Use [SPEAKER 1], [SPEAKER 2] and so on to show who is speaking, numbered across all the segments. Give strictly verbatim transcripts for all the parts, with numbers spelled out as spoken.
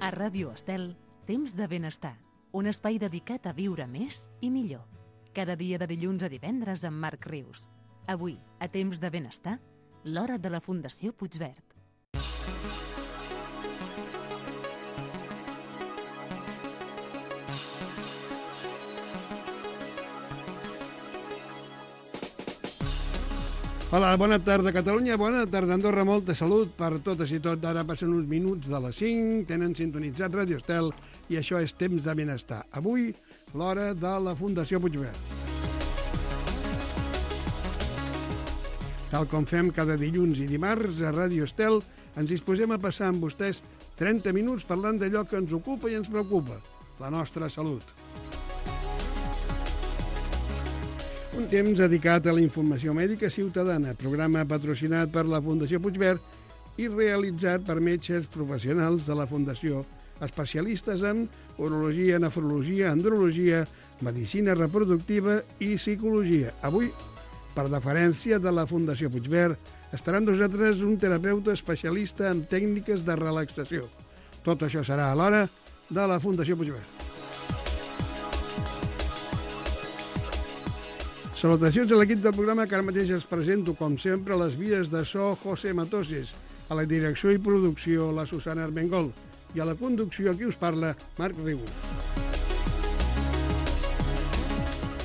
[SPEAKER 1] A Ràdio Estel, Temps de Benestar, un espai dedicat a viure més i millor. Cada dia de dilluns a divendres amb Marc Rius. Avui, a Temps de Benestar, l'hora de la Fundació Puigverd.
[SPEAKER 2] Hola, bona tarda Catalunya, bona tarda Andorra, molta salut per totes i tot. Ara passen uns minuts de les cinc, tenen sintonitzat Ràdio Estel i això és Temps de Benestar. Avui, l'hora de la Fundació Puigverd. Tal com fem cada dilluns i dimarts a Ràdio Estel, ens disposem a passar amb vostès trenta minuts parlant d'allò que ens ocupa i ens preocupa, la nostra salut. Un temps dedicat a la informació mèdica ciutadana, programa patrocinat per la Fundació Puigverd i realitzat per metges professionals de la Fundació, especialistes en urologia, nefrologia, andrologia, medicina reproductiva i psicologia. Avui, per deferència de la Fundació Puigverd, estarà amb nosaltres un terapeuta especialista en tècniques de relaxació. Tot això serà a l'hora de la Fundació Puigverd. Salutacions a l'equip del programa, que ara mateix els presento, com sempre, les vies de so José Matoses, a la direcció i producció la Susana Armengol i a la conducció qui us parla, Marc Rius.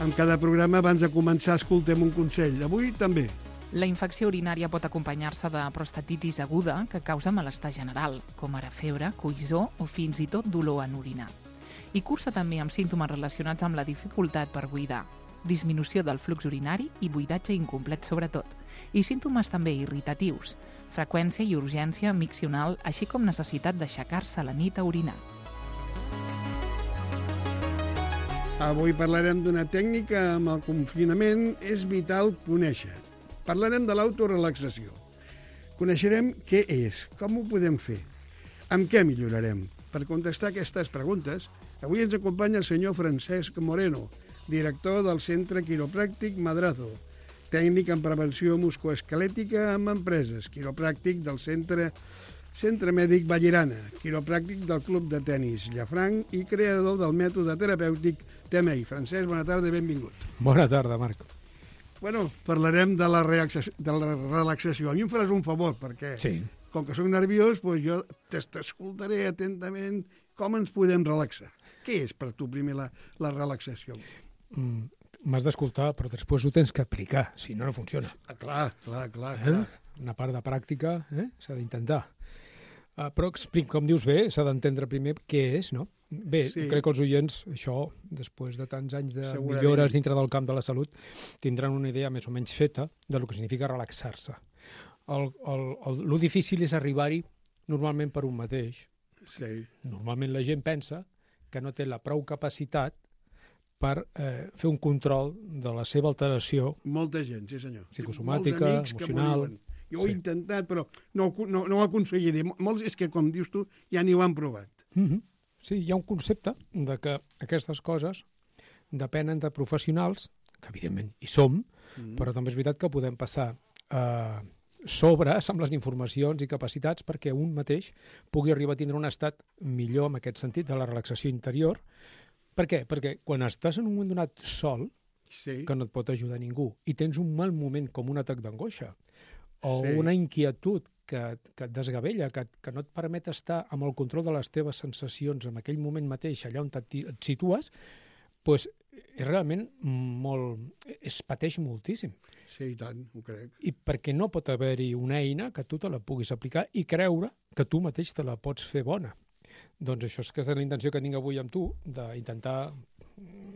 [SPEAKER 2] En cada programa, abans de començar, escoltem un consell. Avui també.
[SPEAKER 3] La infecció urinària pot acompanyar-se de prostatitis aguda que causa malestar general, com ara febre, coïssor o fins i tot dolor en orinar. I cursa també amb símptomes relacionats amb la dificultat per buidar, disminució del flux urinari i buidatge incomplet sobretot, i símptomes també irritatius, freqüència i urgència miccional, així com necessitat d'aixecar-se a la nit a orinar.
[SPEAKER 2] Avui parlarem d'una tècnica amb el confinament és vital conèixer. Parlarem de l'autorelaxació. Coneixerem què és, com ho podem fer, amb què millorarem. Per contestar aquestes preguntes, avui ens acompanya el senyor Francesc Moreno, director del Centre Quiropràctic Madrazo, tècnic en prevenció musculoesquelètica amb empreses, quiropràctic del Centre Centre Mèdic Vallirana, quiropràctic del Club de Tenis Llafranc i creador del mètode terapèutic T M I. Francesc, bona tarda i benvingut.
[SPEAKER 4] Bona tarda, Marc.
[SPEAKER 2] Bueno, parlarem de la, de la relaxació. A mi em faràs un favor, perquè
[SPEAKER 4] sí.
[SPEAKER 2] Com que soc nerviós, doncs jo t'escoltaré atentament com ens podem relaxar. Què és per tu primer la, la relaxació?
[SPEAKER 4] Mm, m'has d'escoltar, però després ho tens que aplicar, si no, no funciona.
[SPEAKER 2] Ah, clar, clar, clar.
[SPEAKER 4] Eh?
[SPEAKER 2] clar.
[SPEAKER 4] Una part de pràctica eh? s'ha d'intentar. Uh, però explic, com dius bé, s'ha d'entendre primer què és, no? Bé, sí. Crec que els oients, això, després de tants anys de Segurament. millores dintre del camp de la salut, tindran una idea més o menys feta de lo que significa relaxar-se. El, el, el, lo difícil és arribar-hi normalment per un mateix.
[SPEAKER 2] Sí. Normalment
[SPEAKER 4] la gent pensa que no té la prou capacitat per eh, fer un control de la seva alteració.
[SPEAKER 2] Molta gent, sí senyor.
[SPEAKER 4] Psicosomàtica, emocional.
[SPEAKER 2] Jo ho he sí. intentat, però no, no, no ho aconseguiré. Molts és que, com dius tu, ja n'hi ho han provat.
[SPEAKER 4] Mm-hmm. Sí, hi ha un concepte de que aquestes coses depenen de professionals, que evidentment hi som, mm-hmm. però també és veritat que podem passar eh, sobres amb les informacions i capacitats perquè un mateix pugui arribar a tindre un estat millor en aquest sentit de la relaxació interior. Per què? Perquè quan estàs en un moment donat sol, sí. que no et pot ajudar ningú, i tens un mal moment com un atac d'angoixa, o sí. una inquietud que, que et desgavella, que, que no et permet estar amb el control de les teves sensacions en aquell moment mateix, allà on et, et situes, doncs és realment molt... es pateix moltíssim.
[SPEAKER 2] Sí, i tant, ho crec.
[SPEAKER 4] I perquè no pot haver-hi una eina que tu te la puguis aplicar i creure que tu mateix te la pots fer bona. Doncs això és que és la intenció que tinc avui amb tu, d'intentar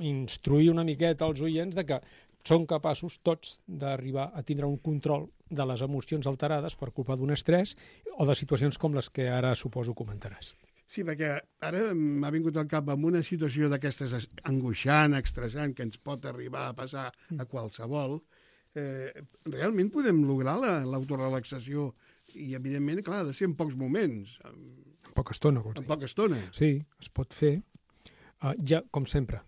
[SPEAKER 4] instruir una miqueta als oients de que són capaços tots d'arribar a tindre un control de les emocions alterades per culpa d'un estrès o de situacions com les que ara suposo comentaràs.
[SPEAKER 2] Sí, perquè ara m'ha vingut al cap amb una situació d'aquestes angoixant, estressant, que ens pot arribar a passar a qualsevol. Eh, realment podem lograr l'autorelaxació i, evidentment, clar, ha de ser en pocs moments.
[SPEAKER 4] En poca estona, vols dir.
[SPEAKER 2] En poca estona.
[SPEAKER 4] Sí, es pot fer. Uh, ja, com sempre,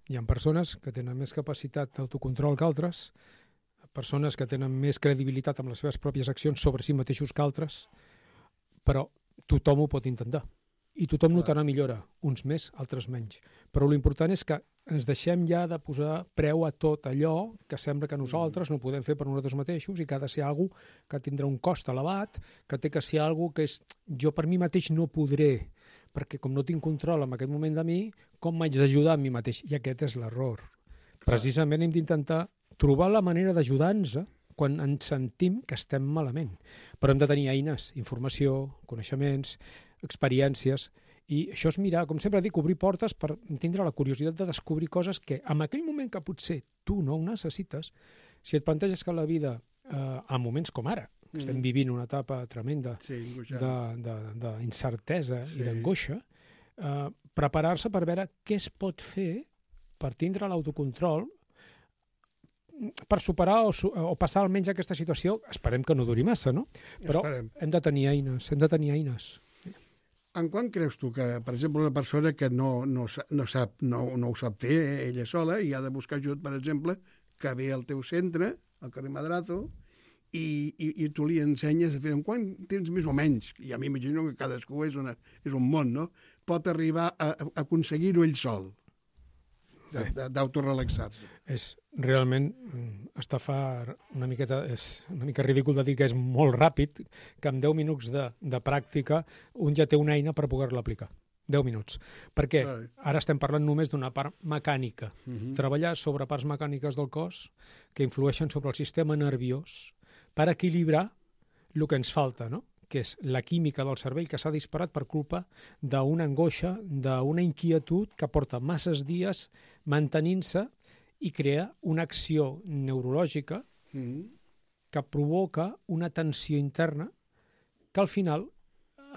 [SPEAKER 4] hi ha persones que tenen més capacitat d'autocontrol que altres, persones que tenen més credibilitat amb les seves pròpies accions sobre si mateixos que altres, però tothom ho pot intentar. i tothom notarà millora, uns més, altres menys. Però l'important és que ens deixem ja de posar preu a tot allò que sembla que nosaltres no podem fer per nosaltres mateixos i que ha de ser alguna que tindrà un cost elevat, que té que ser alguna que és jo per mi mateix no podré, perquè com no tinc control en aquest moment de mi, com m'haig d'ajudar a mi mateix? I aquest és l'error. Precisament hem d'intentar trobar la manera d'ajudar-nos quan ens sentim que estem malament. Però hem de tenir eines, informació, coneixements, experiències, i això és mirar, com sempre dic, obrir portes per tindre la curiositat de descobrir coses que en aquell moment que potser tu no ho necessites, si et planteges que la vida, eh, en moments com ara, que estem vivint una etapa tremenda
[SPEAKER 2] Sí,
[SPEAKER 4] d'incertesa
[SPEAKER 2] Sí.
[SPEAKER 4] i d'angoixa, eh, preparar-se per veure què es pot fer per tindre l'autocontrol per superar o, su- o passar almenys aquesta situació. Esperem que no duri massa, no? Però
[SPEAKER 2] Esperem.
[SPEAKER 4] hem de tenir eines, hem de tenir eines.
[SPEAKER 2] En quan creus tu que, per exemple, una persona que no, no, sa- no, sap, no, no ho sap fer eh, ella sola i ha de buscar ajut, per exemple, que ve al teu centre, al carrer Madrazo, i, i, i tu li ensenyes a fer en quant temps més o menys, ja m'imagino que cadascú és, una, és un món, no? Pot arribar a, a aconseguir-ho ell sol, de- de- d'autorelaxar-se.
[SPEAKER 4] És realment mm, estafar una miqueta, és una mica ridícul de dir que és molt ràpid, que en deu minuts de, de pràctica un ja té una eina per poder-la aplicar. deu minuts. Perquè
[SPEAKER 2] Vale.
[SPEAKER 4] ara estem parlant només d'una part mecànica.
[SPEAKER 2] Uh -huh.
[SPEAKER 4] Treballar sobre parts mecàniques del cos que influeixen sobre el sistema nerviós per equilibrar el que ens falta, no? Que és la química del cervell que s'ha disparat per culpa d'una angoixa, d'una inquietud que porta masses dies mantenint-se i crea una acció neurològica
[SPEAKER 2] Uh -huh.
[SPEAKER 4] que provoca una tensió interna que al final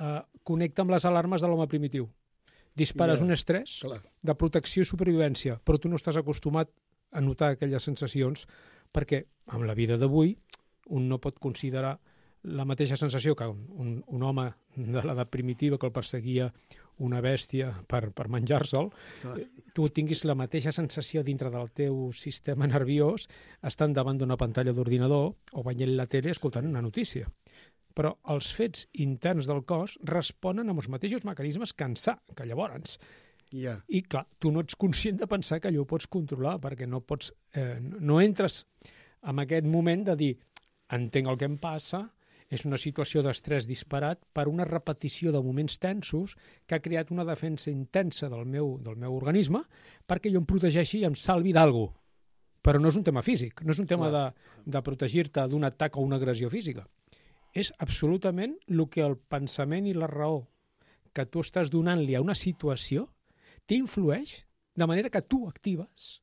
[SPEAKER 4] eh, connecta amb les alarmes de l'home primitiu. Dispares
[SPEAKER 2] Ja,
[SPEAKER 4] un estrès
[SPEAKER 2] clar.
[SPEAKER 4] de protecció i supervivència, però tu no estàs acostumat a notar aquelles sensacions perquè amb la vida d'avui un no pot considerar la mateixa sensació que un, un, un home de l'edat primitiva que el perseguia una bèstia per, per menjar-se'l,
[SPEAKER 2] Clar.
[SPEAKER 4] tu tinguis la mateixa sensació dintre del teu sistema nerviós estant davant d'una pantalla d'ordinador o veient la tele escoltant una notícia. Però els fets interns del cos responen amb els mateixos mecanismes que en sa, que llavors.
[SPEAKER 2] Ja.
[SPEAKER 4] I, clar, tu no ets conscient de pensar que allò ho pots controlar, perquè no pots, eh, no entres en aquest moment de dir entenc el que em passa, és una situació d'estrès disparat per una repetició de moments tensos que ha creat una defensa intensa del meu, del meu organisme perquè jo em protegeixi i em salvi d'algú. Però no és un tema físic, no és un tema de, de protegir-te d'un atac o una agressió física. És absolutament el que el pensament i la raó que tu estàs donant-li a una situació t'influeix de manera que tu actives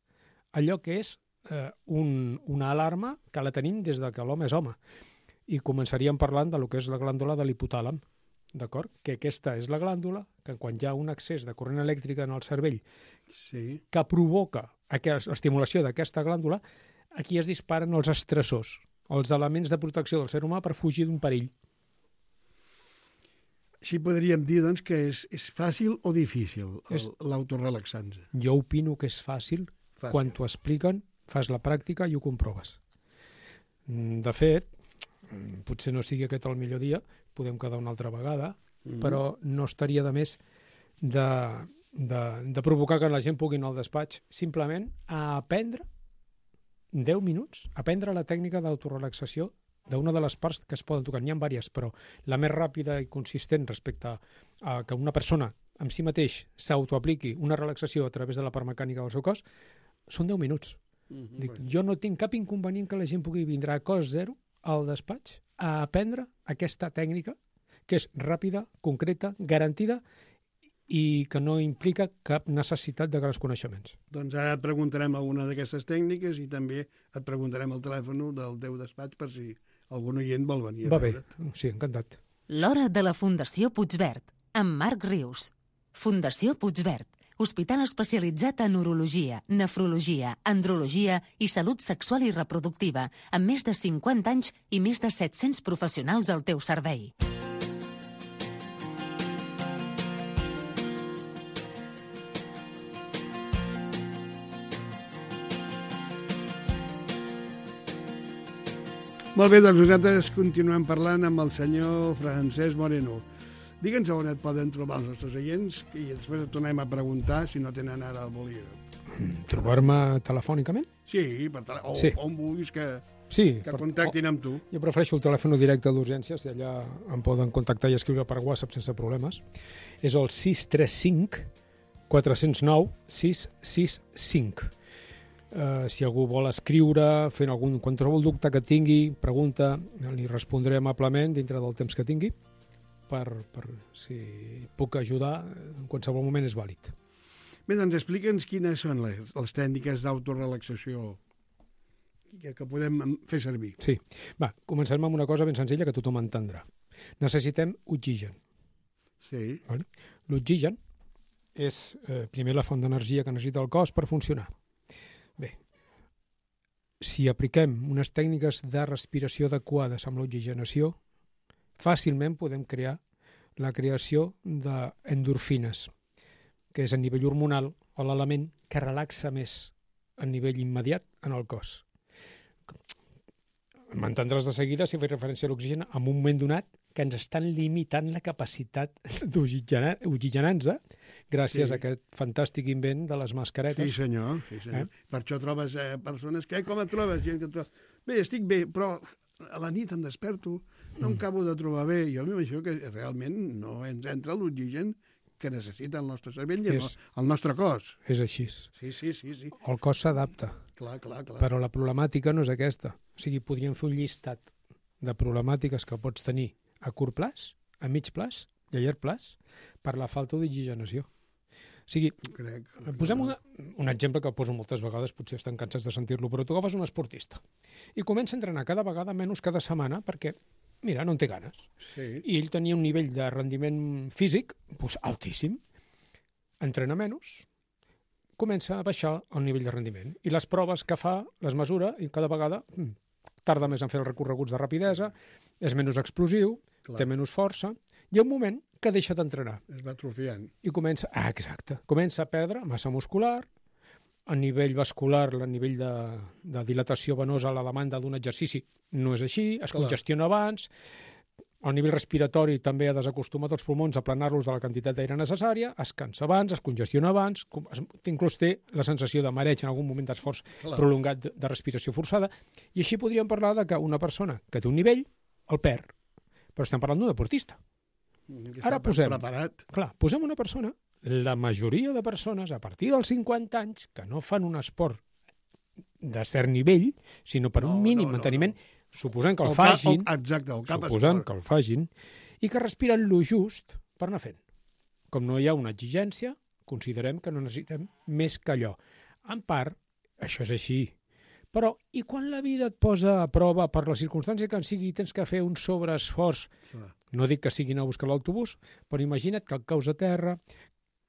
[SPEAKER 4] allò que és eh, un, una alarma que la tenim des de que l'home és home. I començaríem parlant de lo que és la glàndula de l'hipotàlam, d'acord? Que aquesta és la glàndula que quan hi ha un excés de corrent elèctrica en el cervell
[SPEAKER 2] Sí.
[SPEAKER 4] que provoca l'estimulació d'aquesta glàndula, aquí es disparen els estressors, els elements de protecció del ser humà per fugir d'un perill.
[SPEAKER 2] Així podríem dir, doncs, que és, és fàcil o difícil
[SPEAKER 4] És-
[SPEAKER 2] l'autorelaxar-se.
[SPEAKER 4] Jo opino que és fàcil,
[SPEAKER 2] Fàcil.
[SPEAKER 4] quan t'ho expliquen, fas la pràctica i ho comproves. Mm, De fet, mm, potser no sigui aquest el millor dia, podem quedar una altra vegada,
[SPEAKER 2] Mhm.
[SPEAKER 4] però no estaria de més de, de, de provocar que la gent pugui anar al despatx simplement a aprendre deu minuts, aprendre la tècnica d'autorelaxació d'una de les parts que es poden tocar. N'hi ha diverses, però la més ràpida i consistent respecte a, a que una persona en si mateix s'autoapliqui una relaxació a través de la part mecànica del seu cos són deu minuts.
[SPEAKER 2] Mhm.
[SPEAKER 4] Dic, jo no tinc cap inconvenient que la gent pugui vindre a cost zero al despatx a aprendre aquesta tècnica que és ràpida, concreta, garantida i que no implica cap necessitat de grans coneixements.
[SPEAKER 2] Doncs ara et preguntarem alguna d'aquestes tècniques i també et preguntarem el telèfon del teu despatx per si algun oient vol venir a
[SPEAKER 4] Va bé,
[SPEAKER 2] veure't.
[SPEAKER 4] sí, encantat.
[SPEAKER 1] L'hora de la Fundació Puigverd, amb Marc Rius. Fundació Puigverd, hospital especialitzat en urologia, nefrologia, andrologia i salut sexual i reproductiva, amb més de cinquanta anys i més de set-cents professionals al teu servei.
[SPEAKER 2] Molt bé, doncs nosaltres continuem parlant amb el senyor Francesc Moreno. Digue'ns on et poden trobar els nostres oients i després et tornem a preguntar si no tenen ara el bolígraf.
[SPEAKER 4] Trobar-me telefònicament?
[SPEAKER 2] Sí, per tele... o
[SPEAKER 4] Sí.
[SPEAKER 2] on vulguis que,
[SPEAKER 4] Sí.
[SPEAKER 2] que
[SPEAKER 4] per-
[SPEAKER 2] contactin amb tu.
[SPEAKER 4] Jo prefereixo el telèfon directe d'urgències i allà em poden contactar i escriure per WhatsApp sense problemes. És el sis tres cinc quatre zero nou sis sis cinc. Uh, si algú vol escriure, fent algun qualsevol dubte que tingui, pregunta, li respondré amablement dintre del temps que tingui per, per si puc ajudar en qualsevol moment és vàlid.
[SPEAKER 2] Bé, doncs explica'ns quines són les, les tècniques d'autorelaxació que, que podem fer servir.
[SPEAKER 4] Sí. Va, comencem amb una cosa ben senzilla que tothom entendrà. Necessitem oxigen.
[SPEAKER 2] Sí,
[SPEAKER 4] Vale? L'oxigen és eh, primer la font d'energia que necessita el cos per funcionar. Bé, si apliquem unes tècniques de respiració adequades amb l'oxigenació, fàcilment podem crear la creació d'endorfines, que és a nivell hormonal o l'element que relaxa més a nivell immediat en el cos. M'entendràs de seguida si faig referència a l'oxigen en un moment donat que ens estan limitant la capacitat d'oxigenar-nos gràcies
[SPEAKER 2] Sí.
[SPEAKER 4] a aquest fantàstic invent de les mascaretes.
[SPEAKER 2] sí senyor. Sí, senyor.
[SPEAKER 4] Eh?
[SPEAKER 2] Per això trobes eh, persones que, com et trobes? Gent que et trobes. Bé, estic bé, però a la nit em desperto, no em
[SPEAKER 4] Mm.
[SPEAKER 2] acabo de trobar bé. Jo m'imagino que realment no ens entra l'oxigen que necessita el nostre cervell i el,
[SPEAKER 4] És-
[SPEAKER 2] el nostre cos.
[SPEAKER 4] És així.
[SPEAKER 2] Sí, sí, sí, sí.
[SPEAKER 4] El cos s'adapta,
[SPEAKER 2] Clar, clar, clar.
[SPEAKER 4] però la problemàtica no és aquesta. O sigui, podríem fer un llistat de problemàtiques que pots tenir a curt plaç, a mig plaç i a llarg plaç per la falta d'oxigenació. O sigui,
[SPEAKER 2] Crec.
[SPEAKER 4] posem una, un exemple que poso moltes vegades, potser estan cansats de sentir-lo, però tu agafes un esportista i comença a entrenar cada vegada menys cada setmana perquè, mira, no en té ganes.
[SPEAKER 2] Sí,
[SPEAKER 4] I ell tenia un nivell de rendiment físic doncs, altíssim. Entrena menys, comença a baixar el nivell de rendiment. I les proves que fa, les mesura, i cada vegada mm, tarda més en fer els recorreguts de rapidesa, és menys explosiu,
[SPEAKER 2] clar.
[SPEAKER 4] té menys força. Hi ha un moment que deixa d'entrenar
[SPEAKER 2] Es va atrofiant.
[SPEAKER 4] i comença, ah, exacte, comença a perdre massa muscular, a nivell vascular, a nivell de, de dilatació venosa, la demanda d'un exercici no és així, es
[SPEAKER 2] Clar.
[SPEAKER 4] congestiona abans, a nivell respiratori també ha desacostumat els pulmons a planar-los de la quantitat d'aire necessària, es cansa abans, es congestiona abans, com- es- inclús té la sensació de mareig en algun moment d'esforç
[SPEAKER 2] Clar.
[SPEAKER 4] prolongat de, de respiració forçada, i així podríem parlar de que una persona que té un nivell el perd, però estem parlant d'un deportista.
[SPEAKER 2] Que
[SPEAKER 4] Ara
[SPEAKER 2] està
[SPEAKER 4] posem.
[SPEAKER 2] Preparat.
[SPEAKER 4] Clar, posem una persona, la majoria de persones a partir dels cinquanta anys que no fan un esport de cert nivell, sinó per
[SPEAKER 2] No,
[SPEAKER 4] un mínim
[SPEAKER 2] no, no,
[SPEAKER 4] manteniment, suposant que el,
[SPEAKER 2] cap-
[SPEAKER 4] facin,
[SPEAKER 2] el- exacte, el cap
[SPEAKER 4] suposant
[SPEAKER 2] esport.
[SPEAKER 4] que el facin, i que respiren lo just per anar fent. Com no hi ha una exigència, considerem que no necessitem més que allò. En part, això és així. Però, i quan la vida et posa a prova per la circumstància que en sigui tens que fer un sobreesforç,
[SPEAKER 2] Clar.
[SPEAKER 4] no dic que siguin a buscar l'autobús, però imagina't que et caus a terra,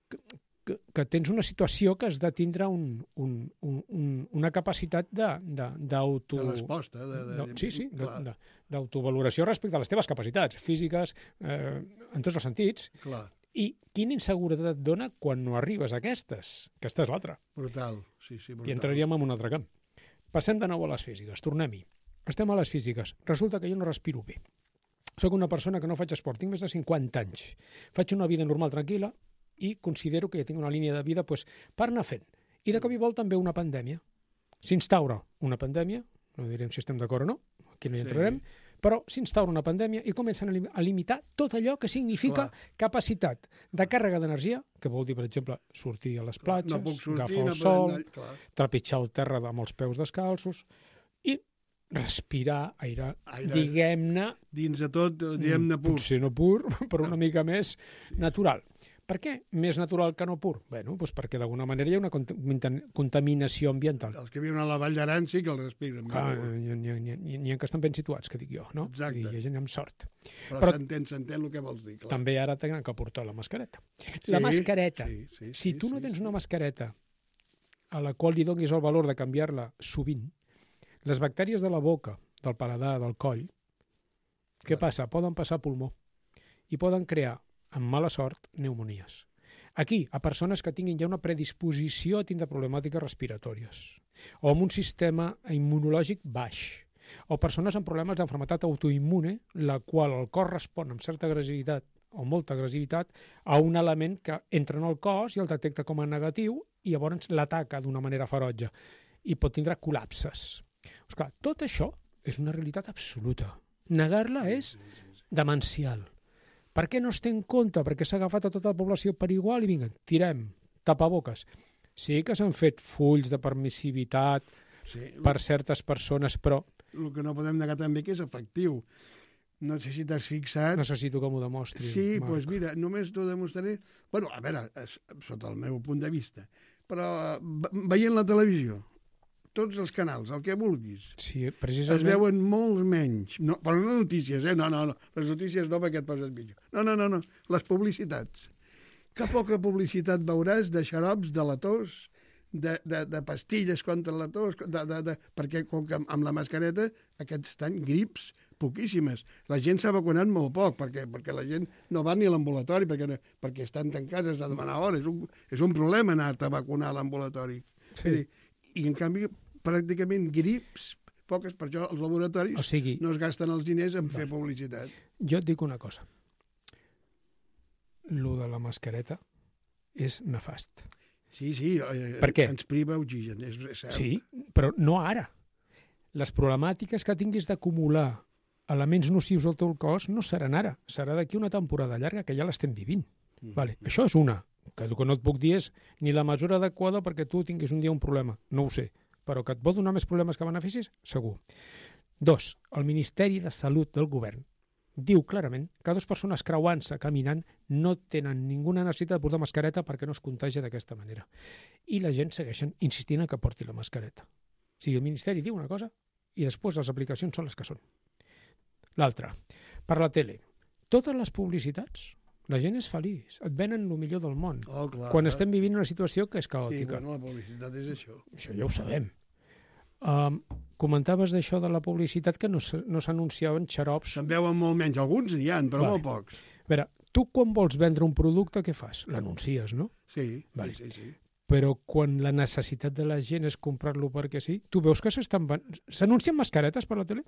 [SPEAKER 4] que, que, que tens una situació que has de tindre un, un, un, un, una capacitat de, de, d'auto...
[SPEAKER 2] De resposta. De, de,
[SPEAKER 4] No, sí, sí, de-
[SPEAKER 2] clar,
[SPEAKER 4] de- d'autovaloració respecte a les teves capacitats físiques, eh, en tots els sentits.
[SPEAKER 2] clar,
[SPEAKER 4] I quina inseguretat et dona quan no arribes a aquestes? Aquesta és l'altra.
[SPEAKER 2] brutal. Sí, sí, brutal.
[SPEAKER 4] I entraríem en un altre camp. Passem de nou a les físiques, tornem-hi. Estem a les físiques. Resulta que jo no respiro bé. Soc una persona que no faig esport, tinc més de cinquanta anys. Faig una vida normal, tranquil·la, i considero que ja tinc una línia de vida pues, per anar fent. I de cop i volta em ve una pandèmia. S'instaura una pandèmia, no direm si estem d'acord o no, aquí no hi entrarem, sí. Però s'instaura una pandèmia i comencen a lim- a limitar tot allò que significa
[SPEAKER 2] Clar.
[SPEAKER 4] capacitat de càrrega d'energia, que vol dir, per exemple, sortir a les platges,
[SPEAKER 2] no puc sortir,
[SPEAKER 4] agafar el
[SPEAKER 2] no
[SPEAKER 4] sol,
[SPEAKER 2] podem anar... Clar.
[SPEAKER 4] trepitjar el terra amb els peus descalços i respirar aire,
[SPEAKER 2] Aire.
[SPEAKER 4] diguem-ne,
[SPEAKER 2] Dins de tot, diguem-ne pur.
[SPEAKER 4] potser no pur, però una mica més natural. Per què més natural que no pur? Bé, doncs perquè d'alguna manera hi ha una contam- contaminació ambiental.
[SPEAKER 2] Els que viuen a la Vall d'Aran sí que el respiren.
[SPEAKER 4] Ah,
[SPEAKER 2] no?
[SPEAKER 4] n'hi ha, n'hi ha, n'hi ha, n'hi ha que estan ben situats, que dic jo, no?
[SPEAKER 2] Exacte.
[SPEAKER 4] I hi ha gent amb sort.
[SPEAKER 2] Però,
[SPEAKER 4] però-
[SPEAKER 2] s'entén, s'entén el que vols dir. Clar.
[SPEAKER 4] També ara tenen que portar la mascareta.
[SPEAKER 2] Sí,
[SPEAKER 4] La mascareta.
[SPEAKER 2] Sí, sí,
[SPEAKER 4] Si
[SPEAKER 2] sí,
[SPEAKER 4] tu no
[SPEAKER 2] sí,
[SPEAKER 4] tens
[SPEAKER 2] sí.
[SPEAKER 4] una mascareta a la qual li donis el valor de canviar-la sovint, les bactèries de la boca, del paladar, del coll, què
[SPEAKER 2] Clar.
[SPEAKER 4] passa? Poden passar a pulmó i poden crear, amb mala sort, pneumonies. Aquí, a persones que tinguin ja una predisposició a tindre problemàtiques respiratòries, o amb un sistema immunològic baix, o persones amb problemes d'enfermetat autoimmune, la qual el cos respon amb certa agressivitat o molta agressivitat a un element que entra en el cos i el detecta com a negatiu i llavors l'ataca d'una manera ferotge i pot tindre col·lapses. Esclar, tot això és una realitat absoluta. Negar-la és demencial. Per què no es té en compte? Perquè s'ha agafat a tota la població per igual i vinga, tirem, tapaboques. Sí que s'han fet fulls de permissivitat
[SPEAKER 2] Sí,
[SPEAKER 4] per certes persones, però
[SPEAKER 2] el que no podem negar també que és efectiu. No sé si t'has fixat...
[SPEAKER 4] necessito que m'ho demostri.
[SPEAKER 2] Sí, doncs
[SPEAKER 4] Marc.
[SPEAKER 2] pues mira, només t'ho demostraré... Bueno, a veure, és, sota el meu punt de vista, però ve- veient la televisió, tots els canals, el que vulguis,
[SPEAKER 4] Sí,
[SPEAKER 2] es
[SPEAKER 4] precisament...
[SPEAKER 2] veuen molts menys. No, però no notícies, eh? No, no, no. Les notícies no, perquè et poses pitjor. No, no, no, no. Les publicitats. Que poca publicitat veuràs de xarops de la tos, de, de, de pastilles contra la tos, de, de, de, perquè com que amb la mascareta aquests estan grips poquíssimes. La gent s'ha vacunat molt poc, perquè, perquè la gent no va ni a l'ambulatori, perquè, no- perquè estan tancats, has de demanar hores. És un, és un problema anar-te a vacunar a l'ambulatori.
[SPEAKER 4] Sí.
[SPEAKER 2] I, en canvi, pràcticament grips, poques, per això els laboratoris
[SPEAKER 4] O sigui,
[SPEAKER 2] no es gasten els diners en fer publicitat.
[SPEAKER 4] jo et dic una cosa. Lo de la mascareta és nefast.
[SPEAKER 2] Sí, sí, eh,
[SPEAKER 4] Per què?
[SPEAKER 2] ens priva oxigen, és, és cert.
[SPEAKER 4] Sí, però no ara. Les problemàtiques que tinguis d'acumular elements nocius al teu cos no seran ara, serà d'aquí una temporada llarga que ja l'estem vivint.
[SPEAKER 2] Mm.
[SPEAKER 4] Vale. Això és una, que el que no et puc dir és ni la mesura adequada perquè tu tinguis un dia un problema, no ho sé, però que et pot donar més problemes que beneficis, segur. Dos, el Ministeri de Salut del Govern diu clarament que dues persones creuant-se, caminant, no tenen ninguna necessitat de portar mascareta perquè no es contagia d'aquesta manera. I la gent segueixen insistint en que porti la mascareta. O sigui, el Ministeri diu una cosa i després les aplicacions són les que són. L'altra, per la tele, totes les publicitats, la gent és feliç, et venen el millor del món.
[SPEAKER 2] Oh, clar.
[SPEAKER 4] Quan estem vivint una situació que és
[SPEAKER 2] Sí,
[SPEAKER 4] caòtica.
[SPEAKER 2] bueno, la publicitat és això.
[SPEAKER 4] Això ja ho sabem. Um, comentaves d'això de la publicitat que no, s- no s'anunciaven xarops.
[SPEAKER 2] Se'n veuen molt menys, alguns n'hi ha, però
[SPEAKER 4] Vale.
[SPEAKER 2] molt pocs.
[SPEAKER 4] A veure, tu quan vols vendre un producte, què fas? L'anuncies, no?
[SPEAKER 2] Sí,
[SPEAKER 4] Vale.
[SPEAKER 2] sí, sí.
[SPEAKER 4] Però quan la necessitat de la gent és comprar-lo perquè sí, tu veus que s'estan... ven- s'anuncien mascaretes per la tele?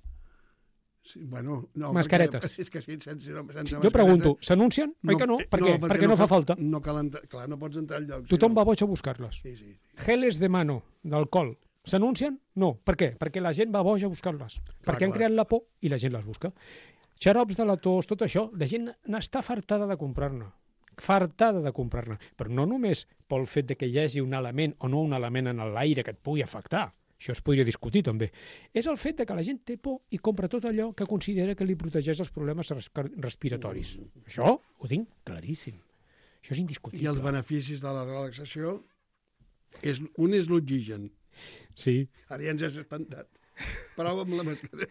[SPEAKER 2] Sí, bueno, no,
[SPEAKER 4] Mascaretes.
[SPEAKER 2] Perquè, és que sí, sense, sense
[SPEAKER 4] Jo pregunto, s'anuncien? Oi que no?
[SPEAKER 2] eh,
[SPEAKER 4] Per què? perquè no fa falta.
[SPEAKER 2] No cal entrar, clar, no pots entrar al lloc.
[SPEAKER 4] Tothom
[SPEAKER 2] si no.
[SPEAKER 4] va boig a buscar-les.
[SPEAKER 2] Sí, sí.
[SPEAKER 4] Geles de mano, d'alcohol, s'anuncien? No. Per què? Perquè la gent va boig a buscar-les. Perquè han
[SPEAKER 2] clar.
[SPEAKER 4] creat la por i la gent les busca. Xarops de la tos, tot això, la gent n'està fartada de comprar-ne. Fartada de comprar-ne. Però no només pel fet de que hi hagi un element o no un element en l'aire que et pugui afectar. Això es podria discutir també. És el fet de que la gent té por i compra tot allò que considera que li protegeix dels problemes res- respiratoris. Això ho tinc claríssim. Això és
[SPEAKER 2] I
[SPEAKER 4] indiscutible.
[SPEAKER 2] els beneficis de la relaxació, és, un és l'oxigen.
[SPEAKER 4] Sí.
[SPEAKER 2] Ara ja ens has espantat. Prova amb la mascareta.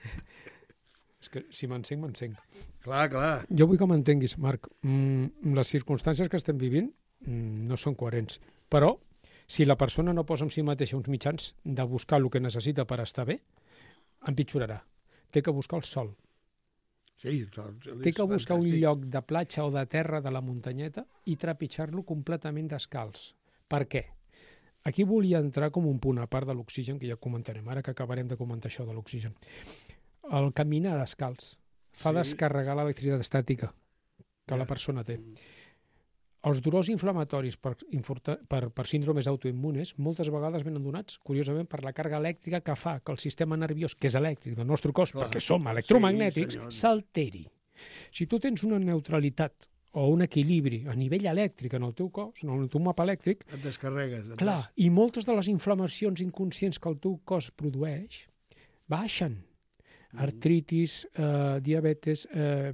[SPEAKER 4] És que si m'encenc, m'encenc.
[SPEAKER 2] Clar, clar.
[SPEAKER 4] Jo vull que m'entenguis, Marc. Mm, les circumstàncies que estem vivint mm, no són coherents. Però, si la persona no posa en si mateixa uns mitjans de buscar el que necessita per estar bé, empitjorarà. Té que buscar el sol.
[SPEAKER 2] Sí, és
[SPEAKER 4] Té que buscar un
[SPEAKER 2] fantàstic.
[SPEAKER 4] lloc de platja o de terra de la muntanyeta i trepitjar-lo completament descalç. Per què? Aquí volia entrar com un punt a part de l'oxigen, que ja comentarem, ara que acabarem de comentar això de l'oxigen. El caminar descalç fa
[SPEAKER 2] Sí.
[SPEAKER 4] descarregar l'electricitat estàtica que
[SPEAKER 2] Ja.
[SPEAKER 4] la persona té. Els dolors inflamatoris per, infurta- per, per síndromes autoimmunes moltes vegades venen donats, curiosament, per la càrrega elèctrica que fa que el sistema nerviós, que és elèctric del nostre cos,
[SPEAKER 2] Clar.
[SPEAKER 4] perquè som
[SPEAKER 2] Sí,
[SPEAKER 4] electromagnètics,
[SPEAKER 2] senyor.
[SPEAKER 4] s'alteri. Si tu tens una neutralitat o un equilibri a nivell elèctric en el teu cos, en el teu mapa elèctric,
[SPEAKER 2] Et descarregues. et
[SPEAKER 4] clar,
[SPEAKER 2] des-
[SPEAKER 4] i moltes de les inflamacions inconscients que el teu cos produeix baixen. Artritis, eh, diabetes, eh,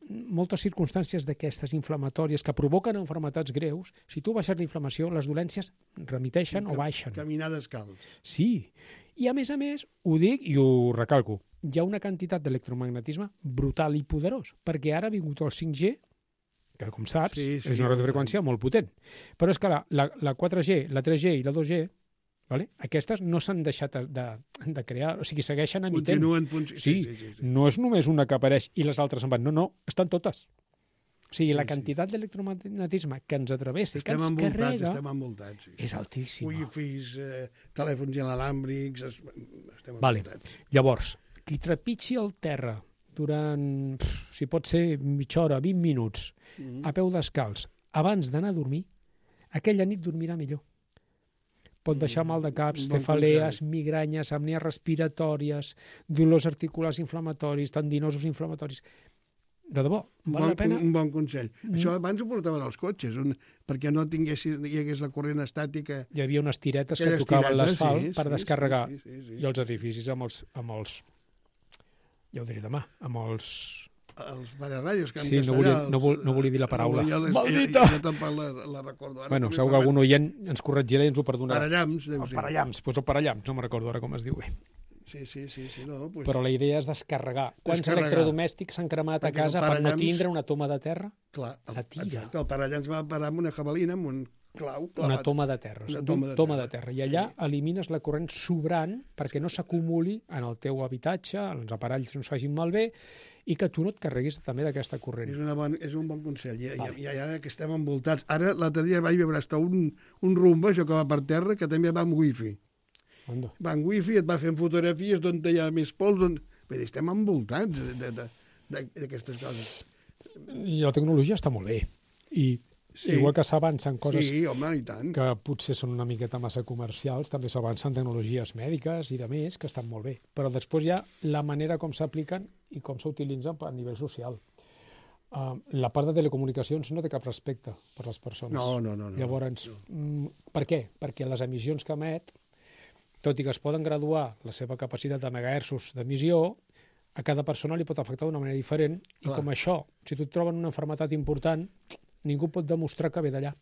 [SPEAKER 4] moltes circumstàncies d'aquestes inflamatòries que provoquen malalties greus, si tu baixes la inflamació, les dolències remiteixen o baixen.
[SPEAKER 2] Caminar descalç.
[SPEAKER 4] Sí. I a més a més, ho dic i ho recalco, hi ha una quantitat d'electromagnetisme brutal i poderós, perquè ara ha vingut el cinc G, que com saps
[SPEAKER 2] Sí, sí,
[SPEAKER 4] és una radiofreqüència molt potent. Però és que la, la, la quatre G, la tres G i la dos G, vale? Aquestes no s'han deixat de, de crear, o sigui, segueixen emitent.
[SPEAKER 2] Continuen funcionant.
[SPEAKER 4] Sí,
[SPEAKER 2] sí, sí, sí.
[SPEAKER 4] no és només una que apareix i les altres en van, no, no, estan totes. O sigui, la
[SPEAKER 2] Sí, sí.
[SPEAKER 4] quantitat d'electromagnetisme que ens travessa i que
[SPEAKER 2] Estem
[SPEAKER 4] ens
[SPEAKER 2] envoltats,
[SPEAKER 4] carrega
[SPEAKER 2] estem envoltats. Sí.
[SPEAKER 4] és altíssima.
[SPEAKER 2] Wi-Fis, eh, telèfons inalàmbrics, es- estem
[SPEAKER 4] Vale.
[SPEAKER 2] envoltats.
[SPEAKER 4] Llavors, qui trepitgi el terra durant, pff, si pot ser mitja hora, vint minuts,
[SPEAKER 2] Mm.
[SPEAKER 4] a peu descalç, abans d'anar a dormir, aquella nit dormirà millor. Pot baixar mal de caps,
[SPEAKER 2] Bon
[SPEAKER 4] cefalees,
[SPEAKER 2] consell.
[SPEAKER 4] migranyes, apnees respiratòries, dolors articulars inflamatoris, tendinosos inflamatoris. De debò,
[SPEAKER 2] Un
[SPEAKER 4] val
[SPEAKER 2] bon,
[SPEAKER 4] la pena?
[SPEAKER 2] un bon consell.
[SPEAKER 4] Mm.
[SPEAKER 2] Això abans ho portaven als cotxes, un, perquè no tinguessin, hi hagués la corrent estàtica.
[SPEAKER 4] Hi havia unes tiretes que
[SPEAKER 2] Aquelles
[SPEAKER 4] tocaven
[SPEAKER 2] tiretes,
[SPEAKER 4] l'asfalt
[SPEAKER 2] sí,
[SPEAKER 4] per
[SPEAKER 2] sí,
[SPEAKER 4] descarregar.
[SPEAKER 2] sí, sí, sí.
[SPEAKER 4] I els edificis amb els, amb els... Ja ho diré demà, amb els...
[SPEAKER 2] Els pararradios, que en
[SPEAKER 4] Sí, no
[SPEAKER 2] castellà,
[SPEAKER 4] volia- no vol-
[SPEAKER 2] els-
[SPEAKER 4] no volia dir la paraula.
[SPEAKER 2] Jo, jo,
[SPEAKER 4] Maldita!
[SPEAKER 2] Jo, jo tampoc la, la recordo. Ara
[SPEAKER 4] Bueno,
[SPEAKER 2] també
[SPEAKER 4] segur que
[SPEAKER 2] parlem.
[SPEAKER 4] algun oient ens corregirà i ens ho perdonarà.
[SPEAKER 2] Parallams, deu
[SPEAKER 4] El
[SPEAKER 2] ser.
[SPEAKER 4] parallams, doncs el parallams, no me'n recordo ara com es diu bé.
[SPEAKER 2] Sí, sí, sí, sí, no, pues,
[SPEAKER 4] Però la idea és descarregar. Quants
[SPEAKER 2] Descarregar.
[SPEAKER 4] electrodomèstics s'han cremat a
[SPEAKER 2] Perquè el
[SPEAKER 4] casa per no
[SPEAKER 2] parallams-
[SPEAKER 4] tindre una toma de terra?
[SPEAKER 2] clar, el,
[SPEAKER 4] la tira.
[SPEAKER 2] exacte, el parallams va parar amb una jabalina, amb un clau clavat.
[SPEAKER 4] Una toma de terra.
[SPEAKER 2] Una
[SPEAKER 4] Una
[SPEAKER 2] toma de
[SPEAKER 4] toma
[SPEAKER 2] terra.
[SPEAKER 4] de terra. I allà elimines la corrent sobrant perquè no s'acumuli en el teu habitatge, els aparells no es facin malbé, i que tu no et carreguis també d'aquesta corrent.
[SPEAKER 2] És, una bon, és un bon consell. I,
[SPEAKER 4] Vale.
[SPEAKER 2] i, i ara que estem envoltats... Ara, l'altre dia vaig veure hasta un, un rumba, això que va per terra, que també va amb wifi.
[SPEAKER 4] Anda.
[SPEAKER 2] Va amb wifi, et va fent fotografies d'on hi ha més pols. On... Vull dir, estem envoltats de- de- de- d'aquestes coses.
[SPEAKER 4] I la tecnologia està molt bé. I
[SPEAKER 2] Sí.
[SPEAKER 4] igual que s'avancen coses
[SPEAKER 2] Sí, home, i tant.
[SPEAKER 4] que potser són una miqueta massa comercials, també s'avancen tecnologies mèdiques i de més, que estan molt bé. Però després hi ha la manera com s'apliquen i com s'utilitzen a nivell social. Uh, la part de telecomunicacions no té cap respecte per les persones.
[SPEAKER 2] No, no, no. no
[SPEAKER 4] Llavors,
[SPEAKER 2] no.
[SPEAKER 4] mm, per què? Perquè les emissions que emet, tot i que es poden graduar la seva capacitat de megahertzos d'emissió, a cada persona li pot afectar d'una manera diferent, i
[SPEAKER 2] Clar.
[SPEAKER 4] com això, si tu et troben una malaltia important, ningú pot demostrar que ve d'allà.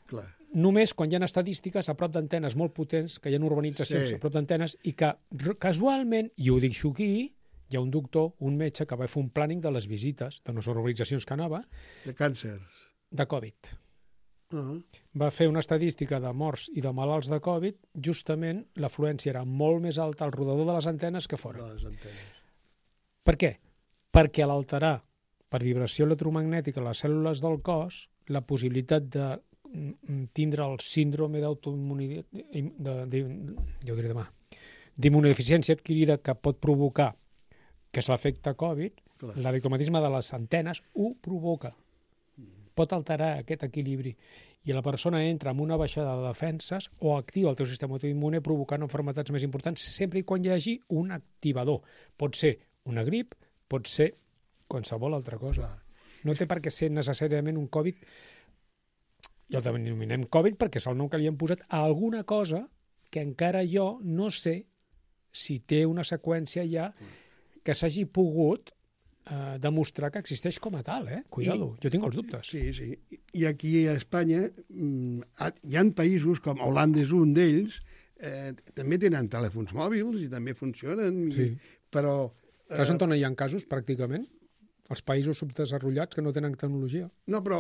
[SPEAKER 2] Clar.
[SPEAKER 4] Només quan hi ha estadístiques a prop d'antenes molt potents, que hi ha urbanitzacions
[SPEAKER 2] Sí.
[SPEAKER 4] a prop d'antenes, i que r- casualment, i ho dic aquí, hi ha un doctor, un metge, que va fer un planning de les visites de les urbanitzacions que anava,
[SPEAKER 2] De càncers.
[SPEAKER 4] de Covid.
[SPEAKER 2] Uh -huh.
[SPEAKER 4] Va fer una estadística de morts i de malalts de Covid, justament l'afluència era molt més alta al rodador de les antenes que fora.
[SPEAKER 2] De les antenes.
[SPEAKER 4] Per què? Perquè a l'alterar per vibració electromagnètica les cèl·lules del cos, la possibilitat de mm, tindre el síndrome d'autoimmunitat, de, de, ja ho diré demà, d'immunodeficiència adquirida que pot provocar, que és l'efecte Covid,
[SPEAKER 2] Clar.
[SPEAKER 4] l'electromagnetisme de les antenes ho provoca. Pot alterar aquest equilibri. I la persona entra amb una baixada de defenses o activa el teu sistema autoimmune provocant malalties més importants sempre i quan hi hagi un activador. Pot ser una grip, pot ser qualsevol altra cosa.
[SPEAKER 2] Clar.
[SPEAKER 4] No té per què ser necessàriament un Covid, i el denominem Covid perquè és el nom que li han posat a alguna cosa que encara jo no sé si té una seqüència ja que s'hagi pogut eh, demostrar que existeix com a tal, eh? Cuidado, I, jo tinc els dubtes.
[SPEAKER 2] Sí, sí. I aquí a Espanya mm, hi ha països, com Holanda és un d'ells, eh, també tenen telèfons mòbils i també funcionen,
[SPEAKER 4] Sí.
[SPEAKER 2] i, però...
[SPEAKER 4] Saps on hi ha casos, pràcticament? Els països subdesenvolupats que no tenen tecnologia.
[SPEAKER 2] No, però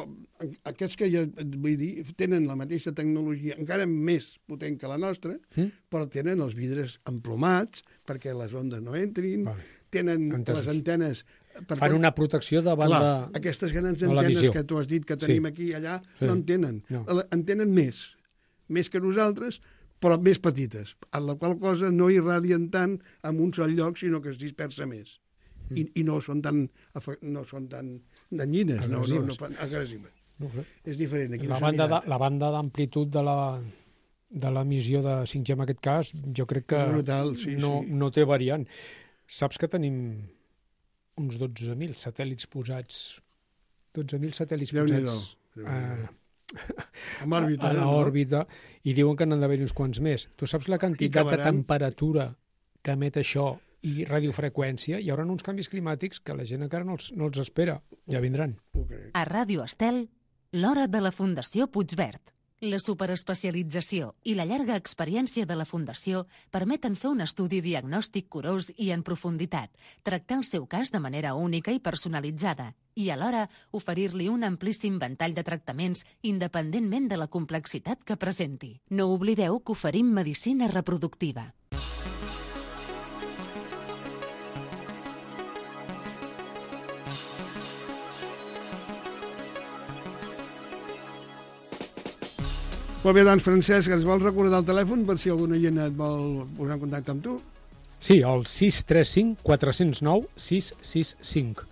[SPEAKER 2] aquests que jo et vull dir tenen la mateixa tecnologia, encara més potent que la nostra,
[SPEAKER 4] Mm?
[SPEAKER 2] però tenen els vidres emplomats perquè les ondes no entrin,
[SPEAKER 4] Vale.
[SPEAKER 2] tenen
[SPEAKER 4] Entesos.
[SPEAKER 2] les antenes... Per
[SPEAKER 4] Fan una protecció davant
[SPEAKER 2] clar,
[SPEAKER 4] de...
[SPEAKER 2] aquestes grans
[SPEAKER 4] de la
[SPEAKER 2] antenes
[SPEAKER 4] visió.
[SPEAKER 2] que tu has dit que tenim
[SPEAKER 4] Sí.
[SPEAKER 2] aquí i allà,
[SPEAKER 4] Sí.
[SPEAKER 2] no en tenen.
[SPEAKER 4] No.
[SPEAKER 2] En tenen més, més que nosaltres, però més petites, en la qual cosa no irradien tant en un sol lloc, sinó que es dispersa més. I, i no són tan, afe- no són tan danyines, no, no, no
[SPEAKER 4] Agressives.
[SPEAKER 2] fan- agressives.
[SPEAKER 4] No ho sé.
[SPEAKER 2] És diferent. Aquí
[SPEAKER 4] La
[SPEAKER 2] no s'ha
[SPEAKER 4] banda,
[SPEAKER 2] mirat.
[SPEAKER 4] de, la banda d'amplitud de la de l'emissió de cinc G en aquest cas, jo crec que
[SPEAKER 2] És brutal, sí,
[SPEAKER 4] no,
[SPEAKER 2] sí.
[SPEAKER 4] no té variant. Saps que tenim uns dotze mil satèl·lits posats, dotze mil satèl·lits
[SPEAKER 2] Déu-n'hi-do.
[SPEAKER 4] posats
[SPEAKER 2] Déu-n'hi-do.
[SPEAKER 4] a,
[SPEAKER 2] Amb òrbita,
[SPEAKER 4] a
[SPEAKER 2] no?
[SPEAKER 4] l'òrbita, i diuen que n'han d'haver uns quants més. Tu saps la quantitat de
[SPEAKER 2] acabaran-
[SPEAKER 4] temperatura que emet això i radiofreqüència? Hi haurà uns canvis climàtics que la gent encara no els, no els espera. Ja vindran.
[SPEAKER 2] Ho crec.
[SPEAKER 1] A Ràdio Estel, l'hora de la Fundació Puigverd. La superespecialització i la llarga experiència de la Fundació permeten fer un estudi diagnòstic curós i en profunditat, tractar el seu cas de manera única i personalitzada i alhora oferir-li un amplíssim ventall de tractaments independentment de la complexitat que presenti. No oblideu que oferim medicina reproductiva.
[SPEAKER 2] Molt bé, doncs, Francesc, ens vols recordar el telèfon per si alguna gent et vol posar en contacte amb tu?
[SPEAKER 4] Sí, el sis tres cinc quatre zero nou sis sis cinc.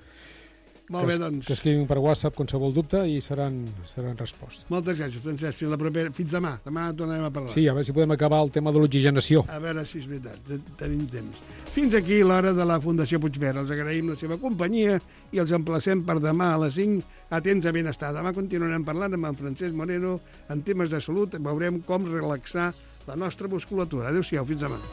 [SPEAKER 2] Molt bé,
[SPEAKER 4] que,
[SPEAKER 2] doncs.
[SPEAKER 4] Que escrivin per WhatsApp qualsevol dubte i seran, seran respostes.
[SPEAKER 2] Moltes gràcies, Francesc. Fins, la propera... Fins demà. Demà tornarem a parlar.
[SPEAKER 4] Sí, a veure si podem acabar el tema de l'oxigenació.
[SPEAKER 2] A veure si és veritat. Tenim temps. Fins aquí l'hora de la Fundació Puigverd. Els agraïm la seva companyia i els emplacem per demà a les cinc a Temps de Benestar. Demà continuarem parlant amb en Francesc Moreno en temes de salut. Veurem com relaxar la nostra musculatura. Adéu-siau. Fins demà.